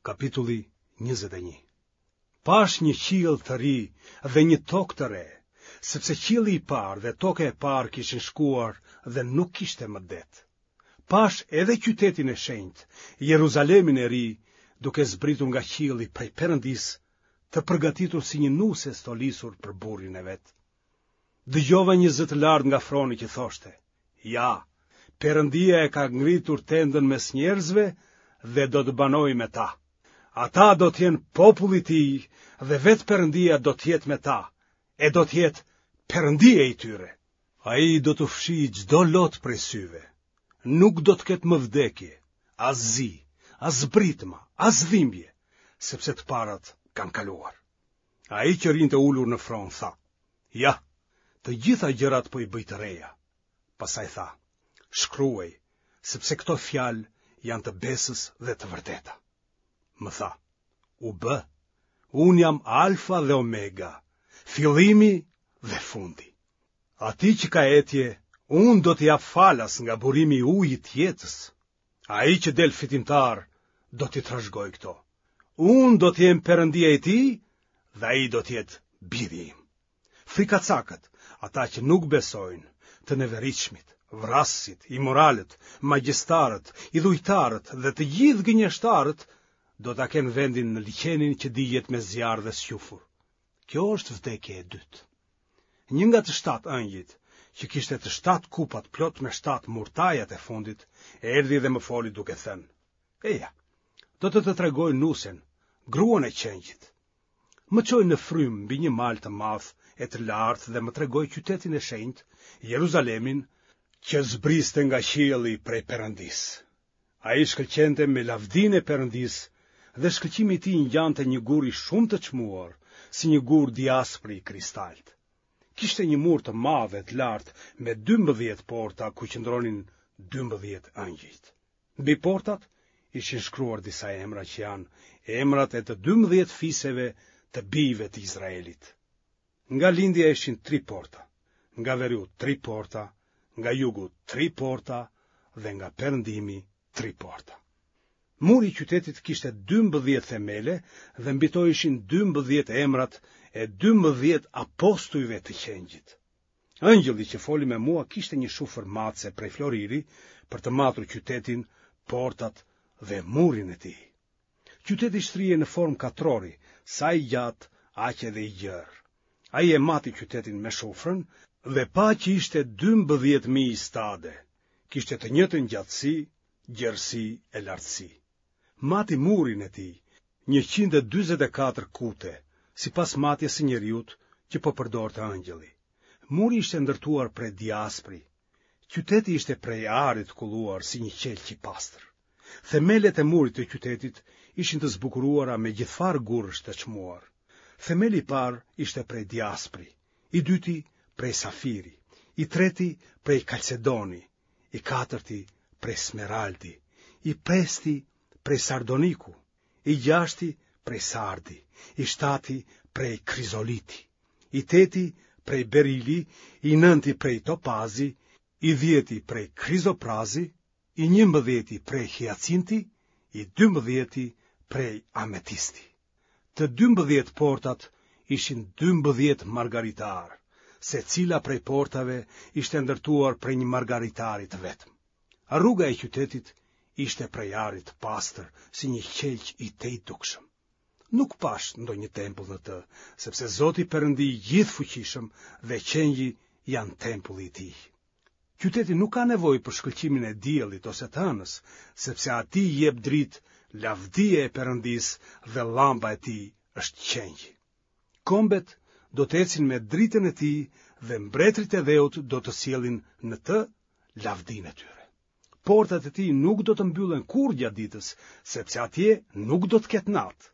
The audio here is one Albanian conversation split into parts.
Kapitulli 21 Pashë një qiell të ri dhe një tokë të re, sepse qielli i parë dhe toka e parë kishin shkuar dhe nuk kishte më det. Pashë edhe qytetin e shenjtë, Jeruzalemin e ri, duke zbritur nga qielli prej Perëndisë, të përgatitur si një nuse e stolisur për burrin e vet. Dëgjova një zë të lartë nga froni që thoshte, Ja, Perëndia e ka ngritur tendën mes njerëzve dhe do të banojë me ta. Ata do të jenë populli i tij dhe vetë Perëndia do të jetë me ta, e do të jetë Perëndia i tyre. Ai do t'u fshijë çdo lot prej syve. Nuk do të ketë më vdekje, as zi, as britma, as dhimbje, sepse të parat kanë kaluar. Ai që rrinte ulur në fron tha: Ja, të gjitha gjërat po i bëj të reja. Pastaj tha: Shkruaj, sepse këto fjalë janë të besës dhe të vërteta. Më tha: U bë. Unë jam Alfa dhe Omega, fillimi dhe fundi. Atij që ka etje, unë do t'i jap falas nga burimi i ujit të jetës. Ai që del fitimtar do t'i trashëgojë këto. Unë do të jem Perëndia i tij dhe ai do të jetë biri im. Frikacakët, ata që nuk besojnë, të neveritshmit, vrasësit, imoralët, magjistarët, idhujtarët dhe të gjithë gënjeshtarët do ta kenë vendin në liqenin që digjet me zjarr dhe squfur. Kjo është vdekja e dytë. Një nga të shtatë ëngjëjt, që kishte të shtatë kupat plot me shtatë murtajat e fundit, erdhi dhe më foli duke thënë: Eja, do të të tregoj nusen, gruan e qengjit. Më çoi në frymë mbi një mal të madh e të lartë dhe më tregoi qytetin e shenjtë, Jeruzalemin, që zbriste nga qielli prej Perëndisë. Ai shkëlqente me lavdinë e Perëndisë dhe shkëlqimi i tij ngjante një guri shumë të çmuar, si një gur diaspri i kristaltë. Kishte një mur të madh e të lartë me 12 porta ku qëndronin 12 ëngjëjt. Mbi portat ishin shkruar disa emra që janë emrat e të 12 fiseve të bijve të Izraelit. Nga lindja ishin tri porta, nga veriu tri porta, nga jugu tri porta dhe nga perëndimi tri porta. Muri i qytetit kishte 12 themele dhe mbi to ishin 12 emrat e 12 apostujve të qengjit. Ëngjëlli që foli me mua kishte një shufër matëse prej floriri për të matur qytetin, portat dhe murin e tij. Qyteti shtrihej në formë katrori, sa i gjatë, aq edhe i gjerë. Ai e mati qytetin me shufrën dhe pa që ishte 12.000 stade, kishte të njëjtën gjatësi, gjerësi e lartësi. Mati murin e tij, 144 kute, sipas matjes së njeriut që po përdorte ëngjëlli. Muri ishte ndërtuar prej diaspri. Qyteti ishte prej ari të kulluar si një qelq i pastër. Themelet e murit të qytetit ishin të zbukuruara me gjithfarë gurësh të çmuar. Themeli i parë ishte prej diaspri, i dyti prej safiri, i treti prej kalcedoni, i katërti prej smeraldi, i pesti prej sardoniku, i gjashti prej sardi, i shtati prej krizoliti, i teti prej berili, i nënti prej topazi, i dhjeti prej krizoprazi, i njëmbëdhjeti prej hiacinti, i dymbëdhjeti prej ametisti. Të 12 portat ishin 12 margaritarë, secila prej portave ishte ndërtuar prej një margaritari të vetëm. Rruga e qytetit ishte prej ari të pastër, si një qelq i tejdukshëm. Nuk pashë ndonjë tempull në të, sepse Zoti Perëndi i gjithëfuqishëm dhe qengji janë tempulli i tij. Qyteti nuk ka nevojë për shkëlqimin e diellit ose të hënës, sepse atij i jep dritë lavdia e Perëndisë dhe llamba e tij është qengji. Kombet do të ecin me dritën e tij dhe mbretërit e dheut do të sjellin në të lavdinë e tyre. Portat e tij nuk do të mbyllen kurrë gjatë ditës, sepse atje nuk do të ketë natë.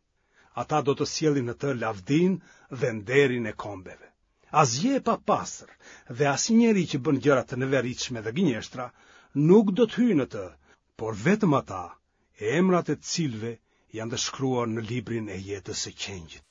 Ata do të sjellin në të lavdinë dhe nderin e kombeve. Asgjë e papastër dhe asnjë njeri që bën gjëra të neveritshme dhe gënjeshtra nuk do të hyjë në të, por vetëm ata, emrat e të cilëve janë të shkruar në librin e jetës së qengjit.